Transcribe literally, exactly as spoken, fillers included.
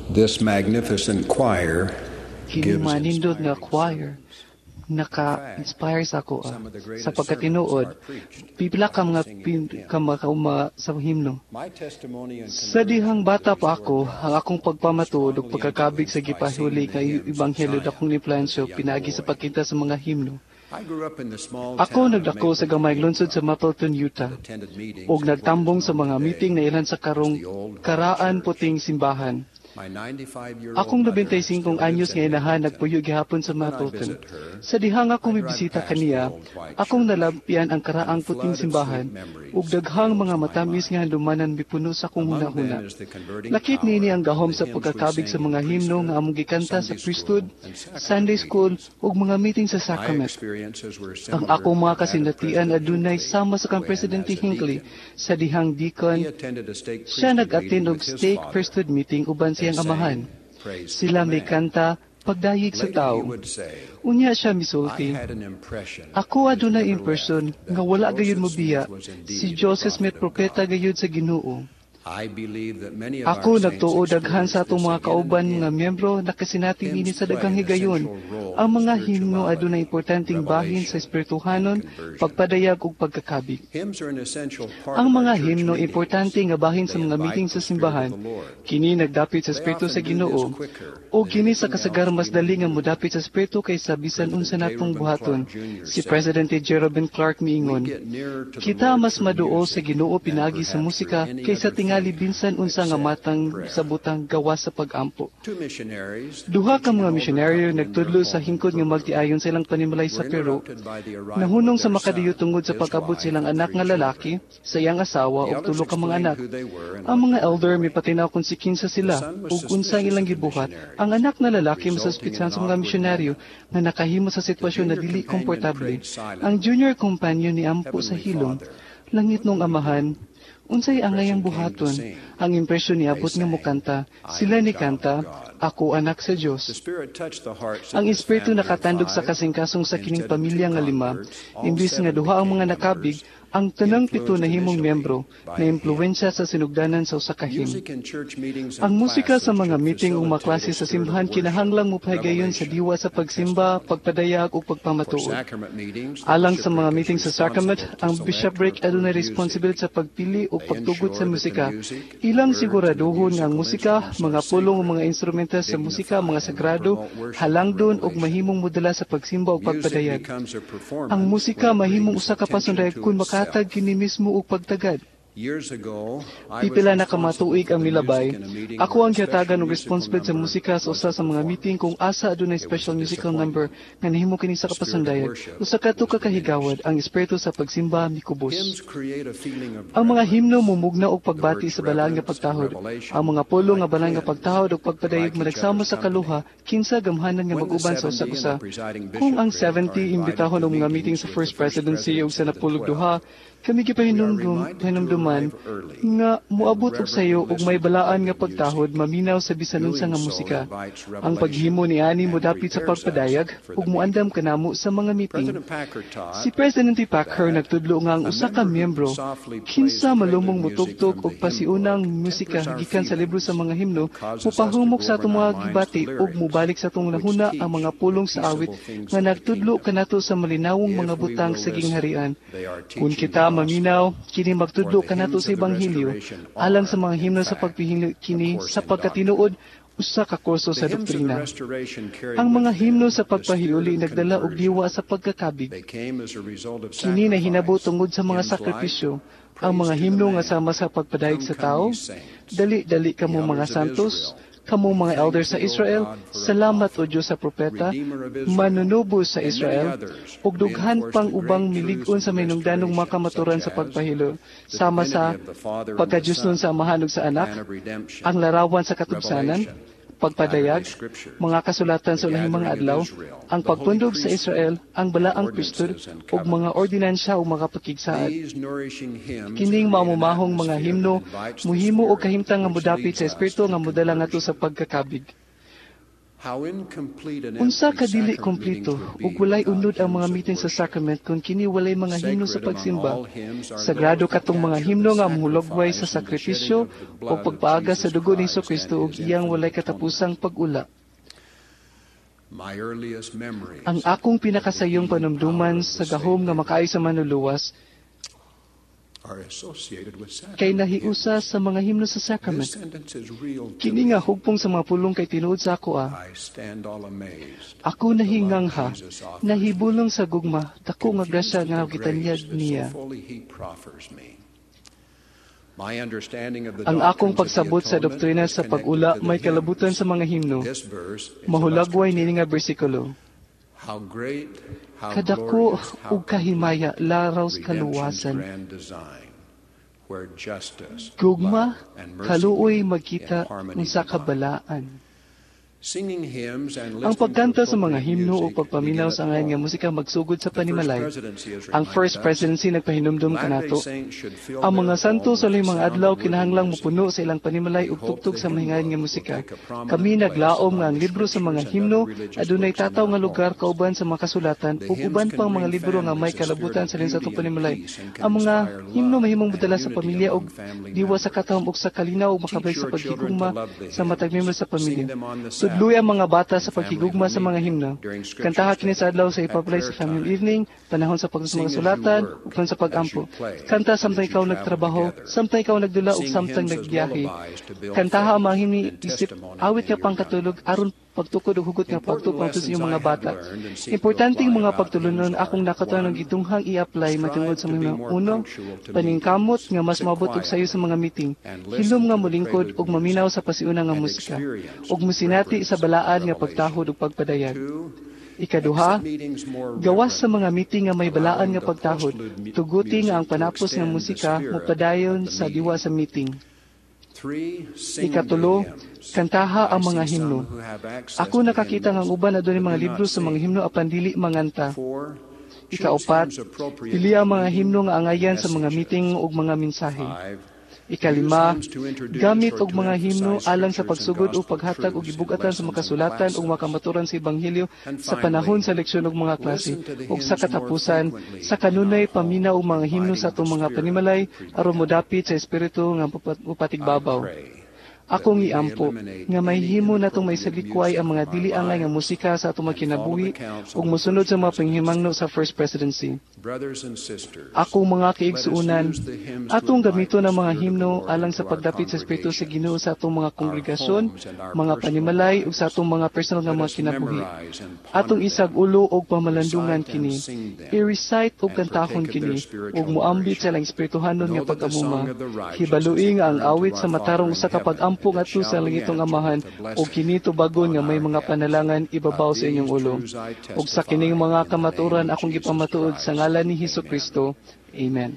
This magnificent choir Kini gives manindot nga inspiring choir naka-inspire sa ako ah. Sa pagkatinuod, pipila ka mga pin, ka mga kauma sa himno. My testimony and Sa dihang bata pa ako, ang akong pagpamatuod ug pagkakabig sa gipahuli nga ebanghelyo dakong impluwensya pinagi sa pagkita sa mga himno. I grew up in the small Ako town of nagdako sa gamayng lungsod sa Mapleton, Utah, attended meetings ug nagtambong sa mga meeting na ilan sa karong karaan puting simbahan. My ninety-five-year-old Akong mother labintay singkong still lives anyos in nga inahan Mapleton. Nagpuyo gihapon sa Mapleton. Sa dihang ako mibisita kaniya, akong nalampian ang karaang puting simbahan ug daghang mga matamis nga handumanan mipuno sa akong Among them hunahuna. Is the converting Lakip power niini ang gahom of sa the hymns we pagkakabig sa sang mga in himno priesthood nga among gikanta and sa Sunday priesthood, school and sacrament Sunday school meetings. Ug mga meeting sa My sacrament. Experiences were Ang similar akong mga to that of kasinatian President adunay Hinckley sama sa kang when, Presidente as a Hinckley deacon, sa dihang deacon. he attended a stake Siya priesthood nag-attend meeting og with his stake father. Priesthood meeting uban They siyang sang amahan. Praise to Sila the may Man. kanta pagdayeg sa Later he tao. would say, Unya siya "I misulti. Had an impression Ako that adunay never impression left that nga wala gayud Joseph mobiya Smith was indeed si a Joseph prophet Smith of propeta God. gayud sa Ginoo. I believe that many of Ako our saints nagtuo daghan sa experienced atong this mga again and kauban again. Nga miyembro nakasinati Hymns niini sa play daghang an higayon. Essential role Ang in mga himno adunay spirituality, importanteng bahin sa revelation, espirituhanon, and conversion. Pagpadayag ug pagkakabig. Hymns are an essential part Ang of our mga church himno meetings. Importante nga bahin sa They mga invite meeting sa the Spirit of simbahan. the Lord. Kini nagdapit sa They Espiritu sa often do this Ginoo. Quicker O than kini sa anything kasagaran else mas we dali may nga do. Modapit sa Espiritu kaysa bisan President unsa J. natong Reuben buhaton. Clark Junior Si said, President J. Reuben Clark "We miingon, get nearer to the "Kita Lord mas through maduol sa music Ginoo than pinagi sa perhaps musika through any kaysa other tingali thing bisan unsa nga except matang prayer." sa butang gawas sa pag-ampo." Two missionaries Duha ka teaching mga an older misyonaryo couple in their nagtudlo sa home in hingkod nga Peru magtiayon sa ilang panimalay sa were Peru. Interrupted by the arrival of Nahunong sa their makadiyo son, tungod sa his pag-abot wife, silang and anak three nga children. Lalaki, sa iyang asawa The ug elders tulo ka mga explained anak. Who they were and Ang what mga they were elder doing. Mipatinaw kung si kinsa The sila son was ug unsang suspicious ilang of the gibuhat. Missionaries, Ang anak na lalaki resulting in masuspitsahan an sa mga awkward misyonaryo moment. Nga nakahimo sa The sitwasyon na junior dili companion komportable. prayed Ang silently, junior companion ni ampo sa "Heavenly hilom, Father, "Langitnong what do we do?" Amahan, unsay angayang Impression came to buhaton?" Sing. Ang impresyon They niabot nga sang, mokanta. "I Sila Am a ni Child kanta, of God." "Ako anak sa Dios." The Spirit touched the hearts of Ang this Espiritu family of nakatandog sa five. kasingkasong sa kining Instead of two pamilya nga lima, converts, all imbis nga seven duha ang became mga nakabig, members, ang tanang pito influenced nahimong initially miyembro by na a hymn. impluwensya sa sinugdanan sa usa ka hymn. Music in church meetings Ang and musika sa classes mga should meeting ug mga facilitate klase a sa spirit of simbahan worship, kinahanglang mopahigayon sa revelation, diwa sa and pagsimba, testimony. Pagpadayag ug For pagpamatuod. Sacrament meetings, the Alang sa mga bishopric is meeting sa sacrament, responsible to ang select or bishopric adunay approve music. Responsibilidad sa pagpili ug They pagtugot sa ensure that the musika. Music, Ilang words, and the siguraduhon nga ang musical musika, instruments mga are pulong ug sacred, mga instrumento sa musika, dignify, mga and will sagrado, promote worship and halangdon ug revelation. Mahimong modala sa pagsimba ug Music pagpadayag. Becomes a Ang performance musika when it mahimong brings usa ka attention pasundayag to kung makatag itself. Kini mismo og pagtagad. Years ago, I was Pipila na ka responsible matuig for ang the milabay. Music in a meeting Ako where ang a special gihatagan og musical responsibilidad sa number musika sa usa wasn't sa mga performed. Meeting kung asa adunay It was special a musical number disappointment. Nga nahimo kini sa The spirit of kapasundayag. Worship Usa ka was tuka kahigawad diminished. ang espiritu sa pagsimba mikubos. Hymns create a feeling of Ang mga himno reverence. mumugna og The pagbati words sa balaan nga reverence and pagtahod. Revelation, Ang mga pulong nga like balaan nga twins, pagtahod ug pagpadayag like each managsama other's sa company. kaluha kinsa gamhanan nga When the mag-uban sa seventy and usa-usa. The presiding Kung ang bishopric are seventy invited imbitahon to og mga meeting meetings sa with the First First Presidency ug sa Presidency and the napulog Twelve, duha, kami we are gipahinumdum reminded to pahinumduman arrive early nga and moabot og sayo reverently ug may listen to balaan nga prelude music. Pagtahod maminaw sa bisan unsa Doing nga so musika. Invites Ang revelation paghimo niani and modapit sa prepares us pagpadayag for ug the moandam meeting. Kanamo sa mga meeting. President Packer taught Si President Packer that nagtudlo nga ang a usa ka member who miyembro softly plays kinsa prelude malumong music motugtog from og the hymn pasiunang book musika tempers our gikan sa libro sa feelings mga himno and causes us to mopahumok go sa over atong in mga our minds the gibati ug lyrics, mobalik sa atong which hunahuna ang teach mga the pulong sa awit peaceable things nga of the nagtudlo kingdom. Kanato sa malinawong If mga we butang will sa listen, gingharian. They are Kung teaching the kita gospel. Maminaw, kini For magtudlo the kanato hymns sa of the ebanghelyo restoration alang are, sa mga in himno sa fact, pagpihili a kini course sa in doctrine. Pagkatinuod usa ka kurso The sa hymns of the doktrina. restoration carried Ang mga with himno them sa the spirit pagpahiluli of nagdala og conversion. diwa sa pagkakabig. They came as a result of Kini nahinabo sacrifice, tungod sa mga hymns like sakripisyo. Ang Praise mga to the himno nga Man, sama sa pagpadayag Come sa Come tao, Ye Saints, "Dali-dali the kamo mga Elders of santos, Israel, kamo We mga thank elders sa thee, O Israel, God, for a salamat o prophet, Dios sa propeta, Redeemer of Israel," manunubo sa and many Israel, others ug dughan reinforce pang the ubang great truths milig-on of sa the mahinungdanong mga restoration, kamaturan such sa as pagpahilo, the sama sa divinity of the Father and the pagkadiyosnon Son, sa Amahan ug sa the Anak, plan of redemption, ang larawan sa katubsanan, revelation, pagpadayag, Latter-day Scriptures, mga kasulatan the sa ulahing mga gathering of adlaw, Israel, ang the holy pagpundog sa priesthood, Israel, ang and balaang priesthood, ordinances and ug mga covenants. Ordinansya ug mga pakigsaad. These nourishing hymns Kining create an maumumahong mga atmosphere that himno invites the muhimo og Spirit, kahimtang nga which modapit leads sa us espiritu to nga modala ngadto sa conversion. pagkakabig. How incomplete and Unsa empty ka dili sacrament kompleto meetings would be ug walay without unod ang mga hymns of meeting sa worship. sacrament kung kini walay mga himno sa Sacred among pagsimba. all hymns are Sagrado those that katong mga capture himno the nga mohulagway sa sacrifice and the shedding sakripisyo of the o blood of pagpaaga sa Jesus dugo ni Christ and Kristo ug his iyang walay infinite atonement. katapusang pag-ula. My earliest memories Ang akong of the pinakasayong healing power panumduman of the sa gahom nga Savior makaayo sa manluluwas are associated with kay sacrament nahiusa hymns. sa mga himno sa sacrament. This sentence is real to Kini me. nga hugpong sa mga pulong kay tinuod sa ako ah. I stand all amazed Ako at the love nahingangha, Jesus offers me, nahibulong sa gugma, dako nga confused grasya at nga the grace gitanyag that so niya. fully he proffers me. My understanding of the Ang akong doctrines of the pagsabot sa atonement doktrina is sa connected pag-ula to the may kalabutan hymns. sa mga himno. This verse is Mahulagway illustrative. niini nga bersikulo. How great, how Kadako glorious, how ug kahimaya complete laraw sa redemption's kaluwasan. grand design, where justice, Gugma, love, and mercy kaluoy meet in magkita harmony unsa divine. kabalaan. Singing hymns and Ang listening to pagkanta sa mga appropriate himno o music pagpaminaw begin sa at angayan nga home. musika magsugod sa The First panimalay. Presidency has Ang reminded First us Presidency nagpahinumdum Latter-day kanato. Saints should fill Ang their mga santo home sa with laing the mga sound adlaw of worthy kinahanglang music. mopuno sa ilang panimalay We ug hope tugtog the sa hymn mahingayan nga book will musika. take a prominent Kami place naglaom among nga ang the libro sa mga scriptures and himno other religious adunay books in tataw their nga lugar homes. kauban sa mga kasulatan The ug hymns uban can pang mga bring libro nga may families a spirit kalabutan of sa sa atong beauty and panimalay. peace and can Ang mga inspire himno love mahimong and modala sa unity pamilya ug among family diwa sa members. katahom ug sa kalinaw ug Teach makabalik sa your children to paghigugma love the sa matag hymns. miyembro sa Sing pamilya. them on the Tudloy ang Sabbath, mga bata in sa family paghigugma home sa mga evening, himno. during scripture Kantaha kini study, sa adlaw sa at ipapalay sa prayer family time. evening, panahon sa pagtuo sa mga Sing as you sulatan, work, ug sa as pag-ampo. you play, Kanta and as samtang you ikaw travel nagtrabaho, together. samtang ikaw nagdula ug Sing samtang hymns as nagbiyahe. lullabies to build Kantaha ang mga faith himni and isip testimony awit in nga your young pangkatulog ones. aron pagtukod ug hugot nga Important pagtupang sa lessons inyong I mga have bata. learned and seek to Importanteng apply mga about pagtulunon hymns are akong nakatunan one, gitunghang i-apply matungod strive sa to be mga more uno, punctual to paningkamot meetings, nga mas sit maabot og sayo sa quietly, mga meeting, and hilom listen nga to the molingkod prelude ug maminaw music sa pasiuna nga and musika, experience ug mosinati sa reverence balaan and nga revelation. pagtahod ug pagpadayag. Two, Ikaduha, exit meetings more gawas sa reverently, mga meeting nga may balaan allowing nga the pagtahod, postlude mu- tuguti nga ang music to panapos nga extend the musika spirit mopadayon of the sa diwa meeting. sa meeting. Three, sing the Ikatulo, hymns. kantaha I ang mga see some himno. who have access Ako to nakakita nga ang hymnals uban adunay but mga do libro not sa mga sing. himno apan dili manganta. Four, choose Ikaupat, hymns appropriate pili to ang the mga meeting himno nga and angayan sa mga meeting messages. ug mga mensahe. Five, use Ikalima, hymns to introduce gamit or og to mga himno emphasize alang sa scriptures and pagsugod o gospel paghatag og truths in gibug-atan sa lessons and makasulatan ug classes. makamaturan sa ebanghelyo And sa panahon finally, sa leksyon ug mga klase listen to the ug sa hymns more katapusan frequently sa in our kanunay paminaw home, og mga himno sa inviting the atong mga Spirit to panimalay aron prevail. modapit sa espiritu nga mupat- I mupatigbabaw. pray that Akong we may iampo eliminate nga any mahimo natong inappropriate maisalikway music ang mga from our dili angay nga lives musika sa atong mga and follow the kinabuhi counsel ug of the mosunod First sa mga Presidency. panghimangno sa First Presidency. Brothers and sisters, Akong mga let us kaigsuonan, use the hymns to atong invite gamiton the ang mga Spirit of the himno Lord alang into sa our pagdapit sa Espiritu sa Ginoo congregations, sa atong mga our kongregasyon, homes, and our mga personal panimalay ug sa lives. atong mga personal nga Let mga us kinabuhi. memorize and Atong ponder them, isag-ulo og pamalandungan recite and kini, sing them, i-recite og and kantahon partake of their kini, ug spiritual moambit sa nourishment. ilang espirituhanon nga Know that the pagkamuma. song of the righteous is Hibalui a nga ang prayer unto awit our sa Father matarong in usa ka heaven, pag-ampo and it ngadto sa shall be langitong answered Amahan, with a ug blessing kini tubagon upon nga may our mga heads. panalangan ibabaw Of sa inyong these ulo. truths I Ug sa testify kining mga in the name kamatuoran of akong Jesus gipamatuod sa Christ. ngalan ni Hesus Amen. Kristo. Amen.